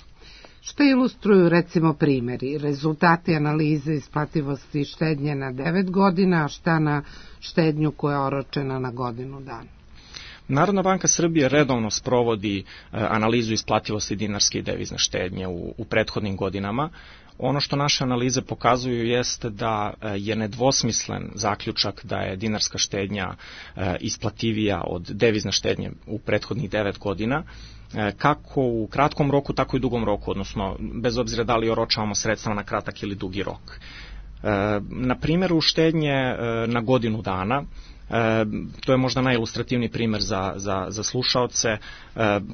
S14: Što ilustruju recimo primjeri, rezultati analize isplativosti štednje na 9 godina, a šta na štednju koja je oročena na godinu dana?
S15: Narodna banka Srbije redovno sprovodi analizu isplativosti dinarske i devizne štednje u prethodnim godinama. Ono što naše analize pokazuju jeste da je nedvosmislen zaključak da je dinarska štednja isplativija od devizne štednje u prethodnih 9 godina, kako u kratkom roku, tako i dugom roku, odnosno bez obzira da li oročavamo sredstva na kratak ili dugi rok. Na primjeru štednje na godinu dana, to je možda najilustrativniji primjer za slušaoce.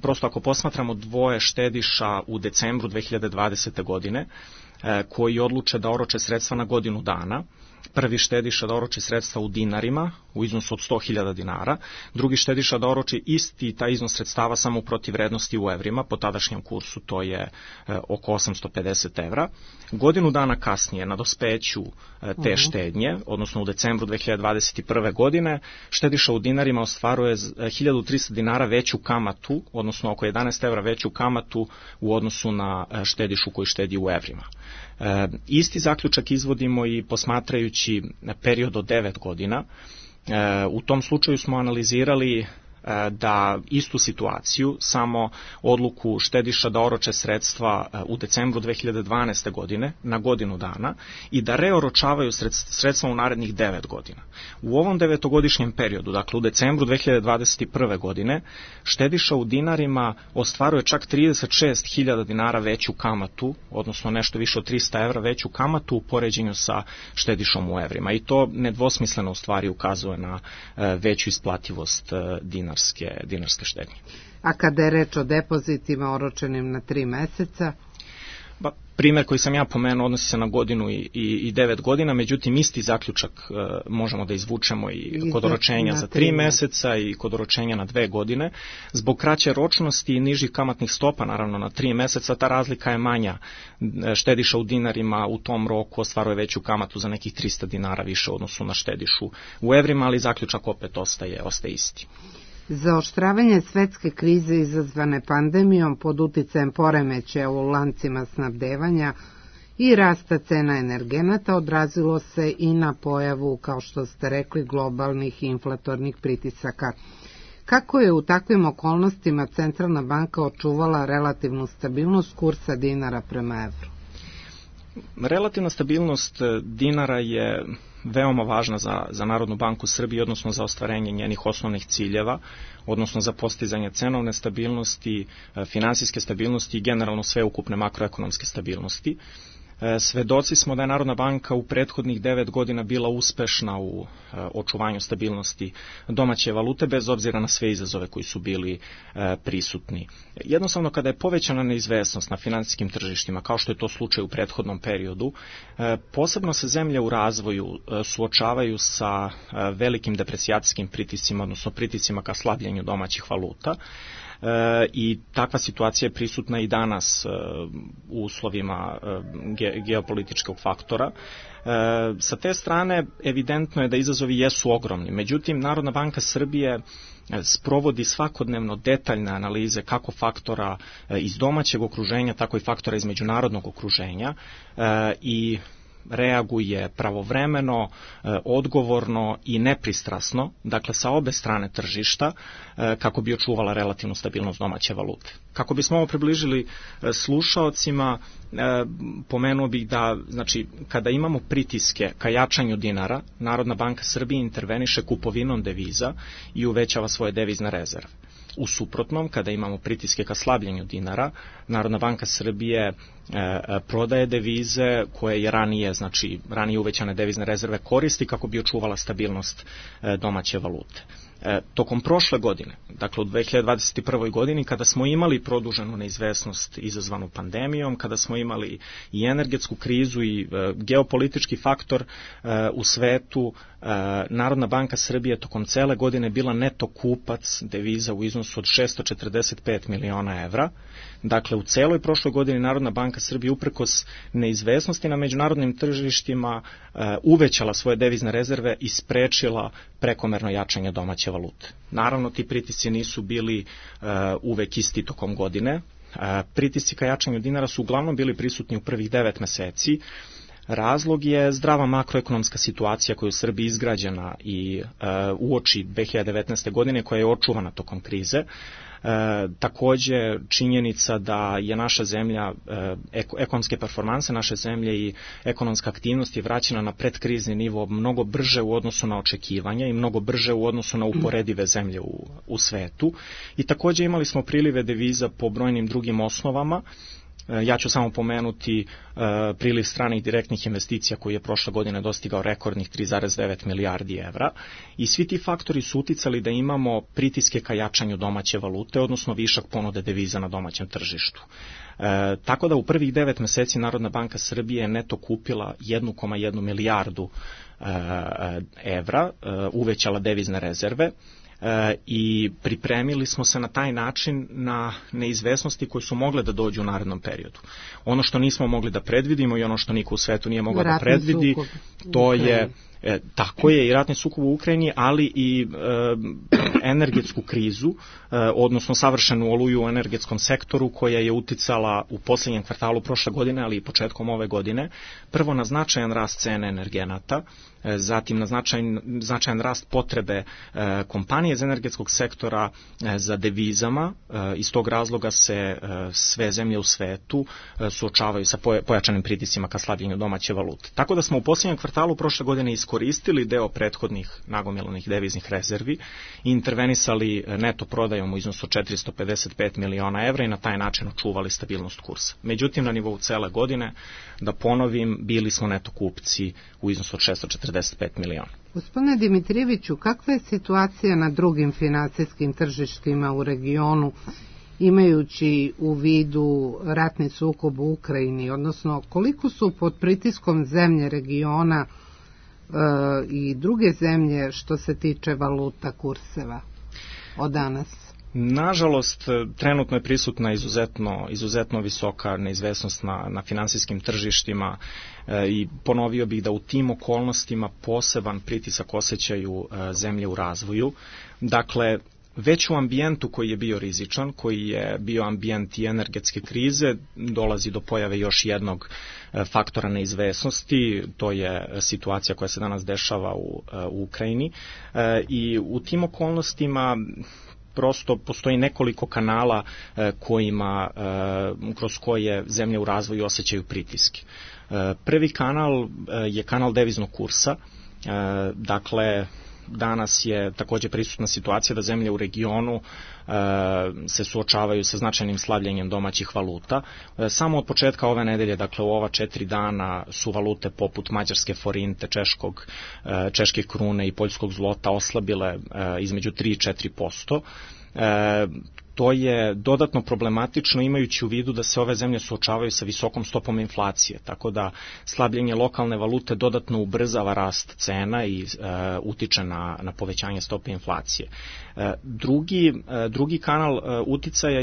S15: Prosto ako posmatramo dvoje štediša u decembru 2020. godine, koji odluče da oroče sredstva na godinu dana, prvi štediša da oroči sredstva u dinarima u iznosu od 100.000 dinara, drugi štediša da oroči isti taj iznos sredstava samo u protivvrednosti u evrima, po tadašnjem kursu to je oko 850 evra. Godinu dana kasnije na dospeću te štednje, odnosno u decembru 2021. godine, štediša u dinarima ostvaruje 1.300 dinara veću kamatu, odnosno oko 11 evra veću kamatu u odnosu na štedišu koji štedi u evrima. Isti zaključak izvodimo i posmatrajući period od 9 godina. U tom slučaju smo analizirali da istu situaciju, samo odluku štediša da oroče sredstva u decembru 2012. godine na godinu dana i da reoročavaju sredstva u narednih 9 godina. U ovom 9-godišnjem periodu, dakle u decembru 2021. godine, štediša u dinarima ostvaruje čak 36.000 dinara veću kamatu, odnosno nešto više od 300 evra veću kamatu u poređenju sa štedišom u evrima. I to nedvosmisleno u stvari ukazuje na veću isplativost dinarske štednje.
S14: A kada je reč o depozitima oročenim na 3 meseca?
S15: Primjer koji sam ja pomenuo odnosi se na godinu i 9 godina, međutim isti zaključak možemo da izvučemo i kod oročenja za 3 meseca i kod oročenja na 2 godine. Zbog kraće ročnosti i nižih kamatnih stopa, naravno na 3 meseca, ta razlika je manja. Štediša u dinarima u tom roku ostvaruje veću kamatu za nekih 300 dinara više u odnosu na štedišu u evrima, ali zaključak opet ostaje isti.
S14: Zaoštravanje svetske krize izazvane pandemijom pod uticajem poremećaja u lancima snabdevanja i rasta cena energenata odrazilo se i na pojavu, kao što ste rekli, globalnih inflatornih pritisaka. Kako je u takvim okolnostima Centralna banka očuvala relativnu stabilnost kursa dinara prema evru?
S15: Relativna stabilnost dinara je veoma važna za Narodnu banku Srbije, odnosno za ostvarenje njenih osnovnih ciljeva, odnosno za postizanje cenovne stabilnosti, finansijske stabilnosti i generalno sveukupne makroekonomske stabilnosti. Svedoci smo da je Narodna banka u prethodnih 9 godina bila uspešna u očuvanju stabilnosti domaće valute, bez obzira na sve izazove koji su bili prisutni. Jednostavno, kada je povećana neizvesnost na finansijskim tržištima, kao što je to slučaj u prethodnom periodu, posebno se zemlje u razvoju suočavaju sa velikim deprecijacijskim pritiscima, odnosno pritiscima ka slabljenju domaćih valuta. I takva situacija je prisutna i danas u uslovima geopolitičkog faktora. Sa te strane evidentno je da izazovi jesu ogromni, međutim Narodna banka Srbije sprovodi svakodnevno detaljne analize kako faktora iz domaćeg okruženja, tako i faktora iz međunarodnog okruženja i reaguje pravovremeno, odgovorno i nepristrasno, dakle sa obe strane tržišta, kako bi očuvala relativnu stabilnost domaće valute. Kako bismo ovo približili slušaocima, pomenuo bih da, znači, kada imamo pritiske ka jačanju dinara, Narodna banka Srbije interveniše kupovinom deviza i uvećava svoje devizne rezerve. U suprotnom, kada imamo pritiske ka slabljenju dinara, Narodna banka Srbije prodaje devize koje je ranije uvećane devizne rezerve koristi kako bi očuvala stabilnost domaće valute. Tokom prošle godine, dakle u 2021. godini, kada smo imali produženu neizvesnost izazvanu pandemijom, kada smo imali i energetsku krizu i geopolitički faktor u svetu, Narodna banka Srbije tokom cele godine bila neto kupac deviza u iznosu od 645 miliona evra. Dakle, u celoj prošloj godini Narodna banka Srbije uprkos neizvesnosti na međunarodnim tržištima uvećala svoje devizne rezerve i sprečila prekomerno jačanje domaće valute. Naravno, ti pritisci nisu bili uvek isti tokom godine. Pritisci ka jačanju dinara su uglavnom bili prisutni u prvih 9 meseci. Razlog je zdrava makroekonomska situacija koja je u Srbiji izgrađena i uoči 2019. godine, koja je očuvana tokom krize. Takođe, činjenica da je naša zemlja, ekonomske performanse naše zemlje i ekonomska aktivnost je vraćena na predkrizni nivo mnogo brže u odnosu na očekivanja i mnogo brže u odnosu na uporedive zemlje u svetu. I takođe imali smo prilive deviza po brojnim drugim osnovama. Ja ću samo pomenuti priliv stranih direktnih investicija koji je prošle godine dostigao rekordnih 3,9 milijardi evra i svi ti faktori su uticali da imamo pritiske ka jačanju domaće valute, odnosno višak ponude deviza na domaćem tržištu. Tako da u prvih 9 meseci Narodna banka Srbije je neto kupila 1,1 milijardu evra, uvećala devizne rezerve, i pripremili smo se na taj način na neizvesnosti koje su mogle da dođu u narednom periodu. Ono što nismo mogli da predvidimo i ono što niko u svetu nije mogao da predvidi, to je tako je i ratni sukob u Ukrajini, ali i energetsku krizu, odnosno savršenu oluju u energetskom sektoru koja je uticala u poslednjem kvartalu prošle godine, ali i početkom ove godine, prvo na značajan rast cene energenata, zatim na značajan rast potrebe kompanije iz energetskog sektora za devizama. Iz tog razloga se sve zemlje u svetu suočavaju sa pojačanim pritiscima ka slabljenju domaće valute. Tako da smo u poslednjem kvartalu prošle godine iskoristili deo prethodnih nagomilanih deviznih rezervi i intervenisali neto prodajom u iznosu 455 miliona evra i na taj način očuvali stabilnost kursa. Međutim, na nivou cele godine, da ponovim, bili smo neto kupci u iznosu od 645 miliona.
S14: Gospodine Dimitrijeviću, kakva je situacija na drugim finansijskim tržištima u regionu, imajući u vidu ratni sukob u Ukrajini, odnosno koliko su pod pritiskom zemlje regiona i druge zemlje što se tiče valuta, kurseva od danas?
S15: Nažalost, trenutno je prisutna izuzetno visoka neizvesnost na finansijskim tržištima i ponovio bih da u tim okolnostima poseban pritisak osjećaju zemlje u razvoju. Dakle, već u ambijentu koji je bio rizičan, koji je bio ambijent i energetske krize, dolazi do pojave još jednog faktora neizvesnosti, to je situacija koja se danas dešava u Ukrajini i u tim okolnostima prosto postoji nekoliko kanala kroz koje zemlje u razvoju osjećaju pritiske. Prvi kanal je kanal deviznog kursa, dakle danas je takođe prisutna situacija da zemlje u regionu se suočavaju sa značajnim slabljenjem domaćih valuta. Samo od početka ove nedelje, dakle u ova 4 dana, su valute poput mađarske forinte, češke krune i poljskog zlota oslabile između 3 i 4%. To je dodatno problematično imajući u vidu da se ove zemlje suočavaju sa visokom stopom inflacije, tako da slabljenje lokalne valute dodatno ubrzava rast cena i utiče na povećanje stope inflacije. Drugi kanal uticaja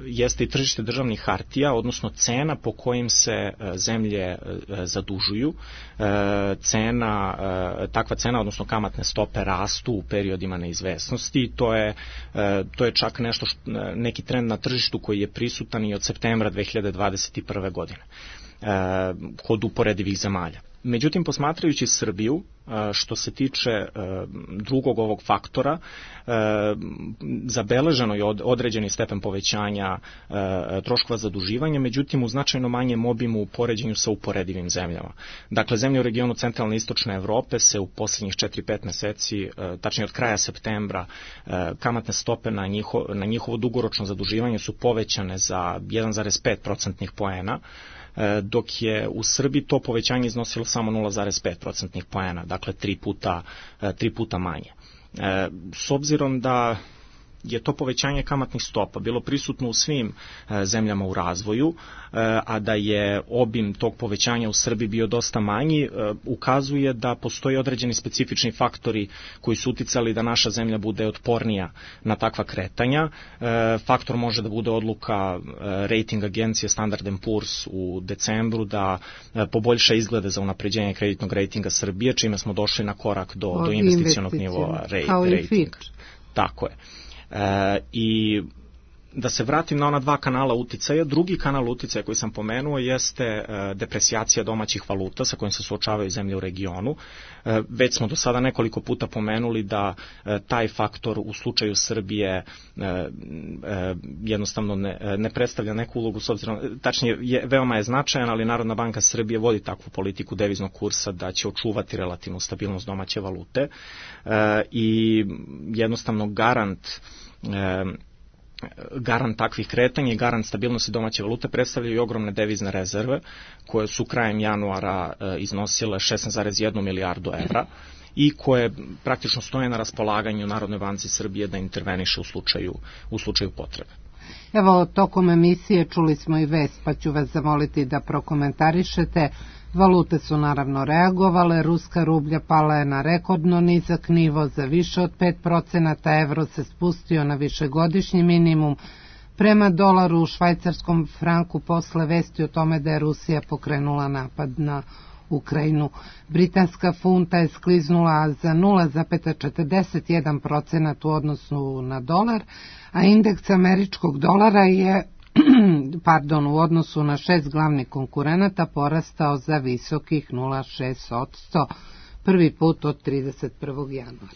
S15: jeste i tržište državnih hartija, odnosno cena po kojim se zemlje zadužuju. Takva cena, odnosno kamatne stope, rastu u periodima neizvesnosti i to je čak neki trend na tržištu koji je prisutan i od septembra 2021. godine kod uporedivih zemalja. Međutim, posmatrajući Srbiju, što se tiče drugog ovog faktora, zabeleženo je određeni stepen povećanja troškova zaduživanja, međutim u značajno manjem obimu u poređenju sa uporedivim zemljama. Dakle, zemlje u regionu centralne i istočne Evrope se u poslednjih 4-5 meseci, tačnije od kraja septembra, kamatne stope na njihovo dugoročno zaduživanje su povećane za 1,5% poena, dok je u Srbiji to povećanje iznosilo samo 0,5% poena, dakle 3 puta manje. S obzirom da je to povećanje kamatnih stopa bilo prisutno u svim zemljama u razvoju, a da je obim tog povećanja u Srbiji bio dosta manji, ukazuje da postoji određeni specifični faktori koji su uticali da naša zemlja bude otpornija na takva kretanja. Faktor može da bude odluka rating agencije Standard & Poor's u decembru da poboljša izglede za unapređenje kreditnog rejtinga Srbije, čime smo došli na korak do investicionog nivoa rejtinga. Tako je. I da se vratim na ona dva kanala uticaja, drugi kanal uticaja koji sam pomenuo jeste depresijacija domaćih valuta sa kojim se suočavaju zemlje u regionu. Već smo do sada nekoliko puta pomenuli da taj faktor u slučaju Srbije jednostavno ne predstavlja neku ulogu, s obzirom, tačnije veoma je značajan, ali Narodna banka Srbije vodi takvu politiku deviznog kursa da će očuvati relativnu stabilnost domaće valute i jednostavno garant takvih kretanja i garant stabilnosti domaće valute predstavljaju i ogromne devizne rezerve koje su krajem januara iznosile 16,1 milijardu evra i koje praktično stoje na raspolaganju Narodnoj banci Srbije da interveniše u slučaju potrebe.
S14: Evo, tokom emisije čuli smo i vest, pa ću vas zamoliti da prokomentarišete. Valute su naravno reagovale, ruska rublja pala je na rekordno nizak nivo za više od 5%, evro se spustio na višegodišnji minimum. Prema dolaru u švajcarskom franku posle vesti o tome da je Rusija pokrenula napad na Ukrajinu. Britanska funta je skliznula za 0,41% u odnosu na dolar, a indeks američkog dolara je u odnosu na 6 glavnih konkurenata porastao za visokih 0,6%, prvi put od 31. januara.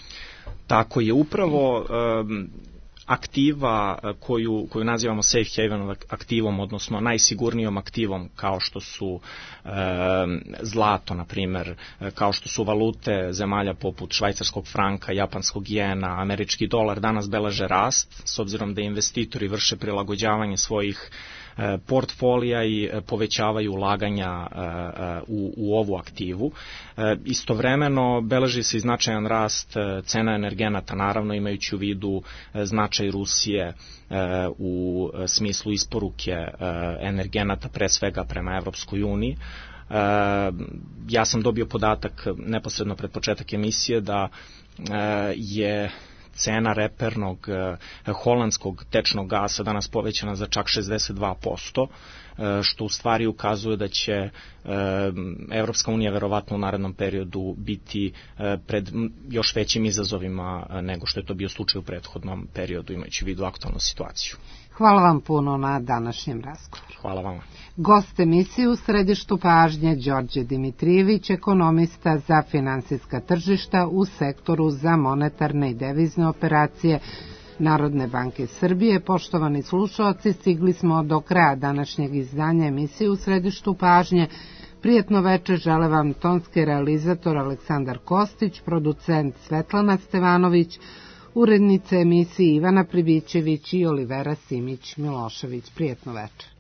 S15: Tako je, upravo aktiva koju nazivamo safe haven aktivom, odnosno najsigurnijom aktivom, kao što su zlato, na primer, kao što su valute zemalja poput švajcarskog franka, japanskog jena, američki dolar, danas beleže rast, s obzirom da investitori vrše prilagođavanje svojih portfolija i povećavaju ulaganja u ovu aktivu. Istovremeno beleži se i značajan rast cena energenata, naravno imajući u vidu značaj Rusije u smislu isporuke energenata, pre svega prema Evropskoj uniji. Ja sam dobio podatak neposredno pred početak emisije da je cena repernog holandskog tečnog gasa danas povećana za čak 62%, što u stvari ukazuje da će Evropska unija verovatno u narednom periodu biti pred još većim izazovima nego što je to bio slučaj u prethodnom periodu, imajući u vidu aktualnu situaciju.
S14: Hvala vam puno na današnjem razgovoru.
S15: Hvala vama.
S14: Gost emisije u središtu pažnje Đorđe Dimitrijević, ekonomista za finansijska tržišta u sektoru za monetarne i devizne operacije Narodne banke Srbije. Poštovani slušaoci, stigli smo do kraja današnjeg izdanja emisije u središtu pažnje. Prijetno večer žele vam tonski realizator Aleksandar Kostić, producent Svetlana Stevanović, urednice emisije Ivana Pribićević i Olivera Simić-Milošević. Prijetno večer.